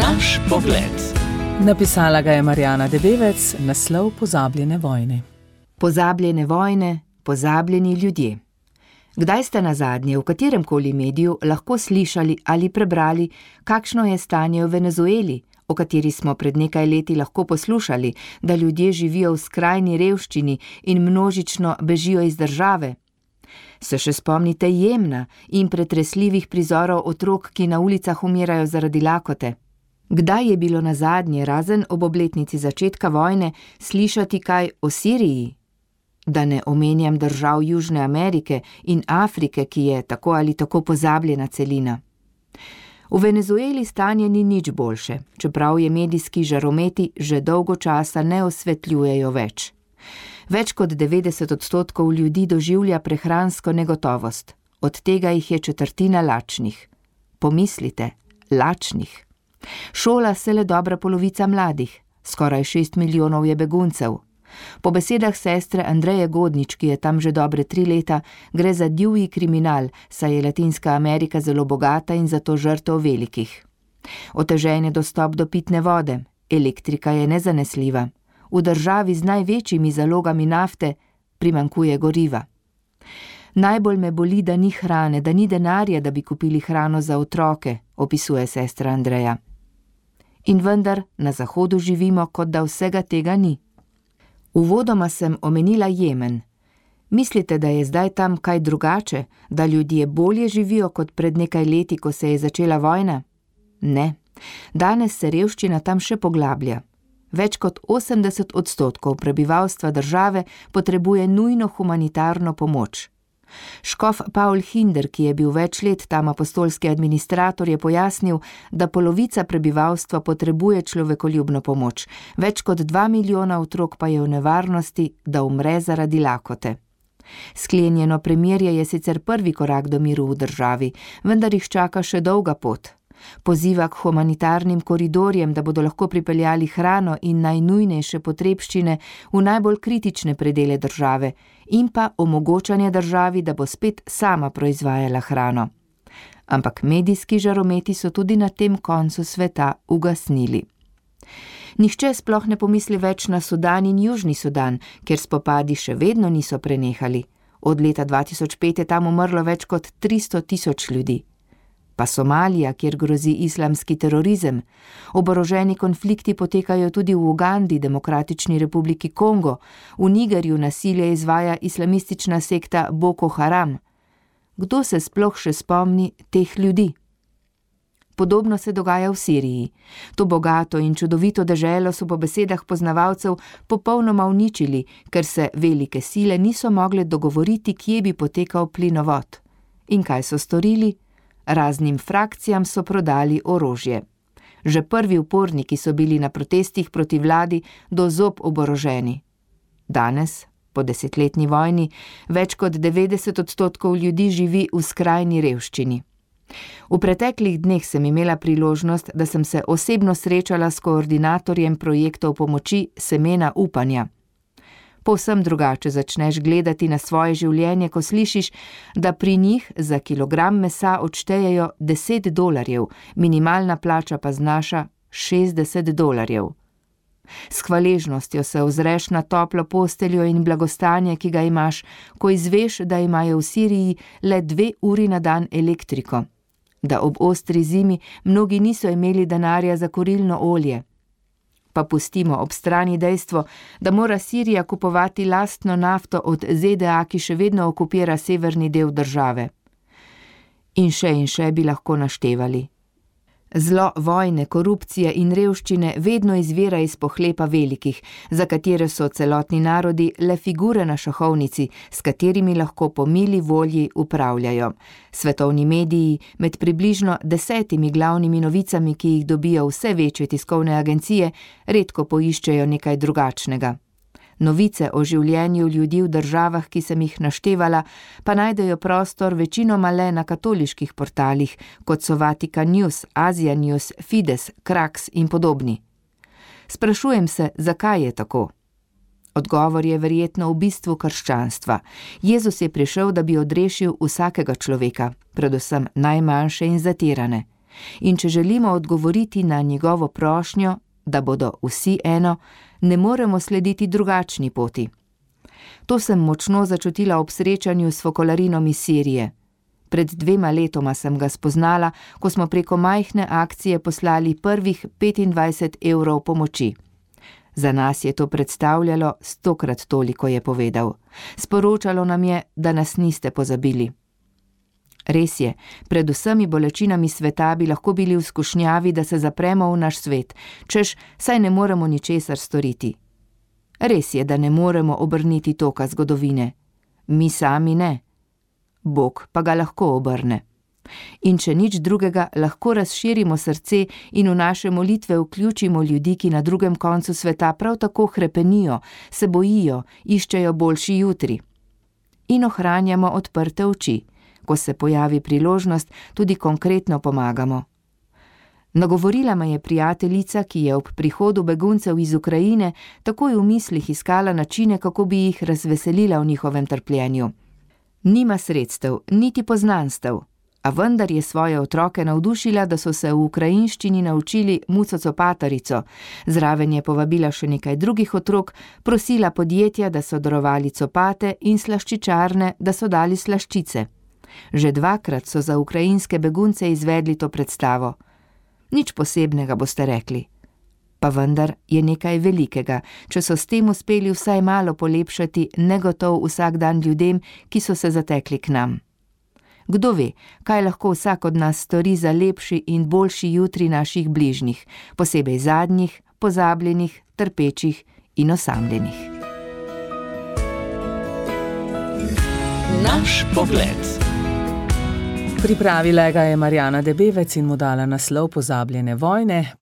Naš pogled. Napisala ga je Marjana Debevec, naslov Pozabljene vojne. Pozabljene vojne, pozabljeni ljudje. Kdaj ste nazadnje v kateremkoli mediju lahko slišali ali prebrali, kakšno je stanje v Venezueli, o kateri smo pred nekaj leti lahko poslušali, da ljudje živijo v skrajni revščini in množično bežijo iz države? Se še spomnite Jemna in pretresljivih prizorov otrok, ki na ulicah umirajo zaradi lakote? Kdaj je bilo nazadnje, razen ob obletnici začetka vojne, slišati kaj o Siriji? Da ne omenjam držav Južne Amerike in Afrike, ki je tako ali tako pozabljena celina. V Venezueli stanje ni nič boljše, čeprav je medijski žarometi že dolgo časa ne osvetljujejo več. Več kot 90% ljudi doživlja prehransko negotovost, od tega jih je četrtina lačnih. Pomislite, lačnih. Šola se le dobra polovica mladih, skoraj 6 milijonov je beguncev. Po besedah sestre Andreje Godnič, ki je tam že dobre 3 leta, gre za divji kriminal, saj je Latinska Amerika zelo bogata in zato žrtev velikih. Otežen je dostop do pitne vode, elektrika je nezanesljiva. V državi z največjimi zalogami nafte primanjkuje goriva. Najbolj me boli, da ni hrane, da ni denarja, da bi kupili hrano za otroke, opisuje sestra Andreja. In vendar na Zahodu živimo, kot da vsega tega ni. Uvodoma sem omenila Jemen. Mislite, da je zdaj tam kaj drugače, da ljudje bolje živijo kot pred nekaj leti, ko se je začela vojna? Ne. Danes se revščina tam še poglablja. Več kot 80% prebivalstva države potrebuje nujno humanitarno pomoč. Škof Paul Hinder, ki je bil več let tam apostolski administrator, je pojasnil, da polovica prebivalstva potrebuje človekoljubno pomoč, več kot 2 milijona otrok pa je v nevarnosti, da umre zaradi lakote. Sklenjeno premirje je sicer prvi korak do miru v državi, vendar jih čaka še dolga pot. Poziva k humanitarnim koridorjem, da bodo lahko pripeljali hrano in najnujnejše potrebščine v najbolj kritične predele države in pa omogočanje državi, da bo spet sama proizvajala hrano. Ampak medijski žarometi so tudi na tem koncu sveta ugasnili. Nihče sploh ne pomisli več na Sudan in Južni Sudan, ker spopadi še vedno niso prenehali. Od leta 2005 je tam umrlo več kot 300 000 ljudi. Pa Somalija, kjer grozi islamski terorizem. Oboroženi konflikti potekajo tudi v Ugandi, Demokratični republiki Kongo, v Nigerju nasilje izvaja islamistična sekta Boko Haram. Kdo se sploh še spomni teh ljudi? Podobno se dogaja v Siriji. To bogato in čudovito deželo so po besedah poznavalcev popolnoma uničili, ker se velike sile niso mogle dogovoriti, kje bi potekal plinovod. In kaj so storili? Raznim frakcijam so prodali orožje. Že prvi uporniki so bili na protestih proti vladi do zob oboroženi. Danes, po 10-letni vojni, več kot 90% ljudi živi v skrajni revščini. V preteklih dneh sem imela priložnost, da sem se osebno srečala s koordinatorjem projektov pomoči Semena upanja. Povsem drugače začneš gledati na svoje življenje, ko slišiš, da pri njih za kilogram mesa odštejejo $10, minimalna plača pa znaša $60. S hvaležnostjo se ozreš na toplo posteljo in blagostanje, ki ga imaš, ko izveš, da imajo v Siriji le 2 uri na dan elektriko, da ob ostri zimi mnogi niso imeli denarja za kurilno olje. Pa pustimo ob strani dejstvo, da mora Sirija kupovati lastno nafto od ZDA, ki še vedno okupira severni del države. In še bi lahko naštevali. Zlo vojne, korupcije in revščine vedno izvira iz pohlepa velikih, za katere so celotni narodi le figure na šahovnici, s katerimi lahko po mili volji upravljajo. Svetovni mediji med približno 10 glavnimi novicami, ki jih dobijo vse večje tiskovne agencije, redko poiščejo nekaj drugačnega. Novice o življenju ljudi v državah, ki sem jih naštevala, pa najdejo prostor večinoma le na katoliških portalih, kot so Vatican News, Asia News, Fides, Krax in podobni. Sprašujem se, zakaj je tako? Odgovor je verjetno v bistvu krščanstva. Jezus je prišel, da bi odrešil vsakega človeka, predvsem najmanjše in zatirane. In če želimo odgovoriti na njegovo prošnjo, da bodo vsi eno, ne moremo slediti drugačni poti. To sem močno začutila ob srečanju s fokolarinom iz Sirije. Pred 2 letoma sem ga spoznala, ko smo preko majhne akcije poslali prvih 25 evrov pomoči. Za nas je to predstavljalo 100-krat toliko, je povedal. Sporočalo nam je, da nas niste pozabili. Res je, pred vsemi bolečinami sveta bi lahko bili v skušnjavi, da se zapremo v naš svet, češ, saj ne moremo ničesar storiti. Res je, da ne moremo obrniti toka zgodovine. Mi sami ne. Bog pa ga lahko obrne. In če nič drugega, lahko razširimo srce in v naše molitve vključimo ljudi, ki na drugem koncu sveta prav tako hrepenijo, se bojijo, iščejo boljši jutri. In ohranjamo odprte oči. Ko se pojavi priložnost, tudi konkretno pomagamo. Nagovorila me je prijateljica, ki je ob prihodu beguncev iz Ukrajine takoj v mislih iskala načine, kako bi jih razveselila v njihovem trpljenju. Nima sredstev, niti poznanstev, a vendar je svoje otroke navdušila, da so se v ukrajinščini naučili muco copatarico. Zraven je povabila še nekaj drugih otrok, prosila podjetja, da so darovali copate, in slaščičarne, da so dali slaščice. Že 2-krat so za ukrajinske begunce izvedli to predstavo. Nič posebnega, boste rekli. Pa vendar je nekaj velikega, če so s tem uspeli vsaj malo polepšati negotov vsak dan ljudem, ki so se zatekli k nam. Kdo ve, kaj lahko vsak od nas stori za lepši in boljši jutri naših bližnjih, posebej zadnjih, pozabljenih, trpečih in osamljenih. Naš pogled. Pripravila ga je Marjana Debevec in mu dala naslov Pozabljene vojne.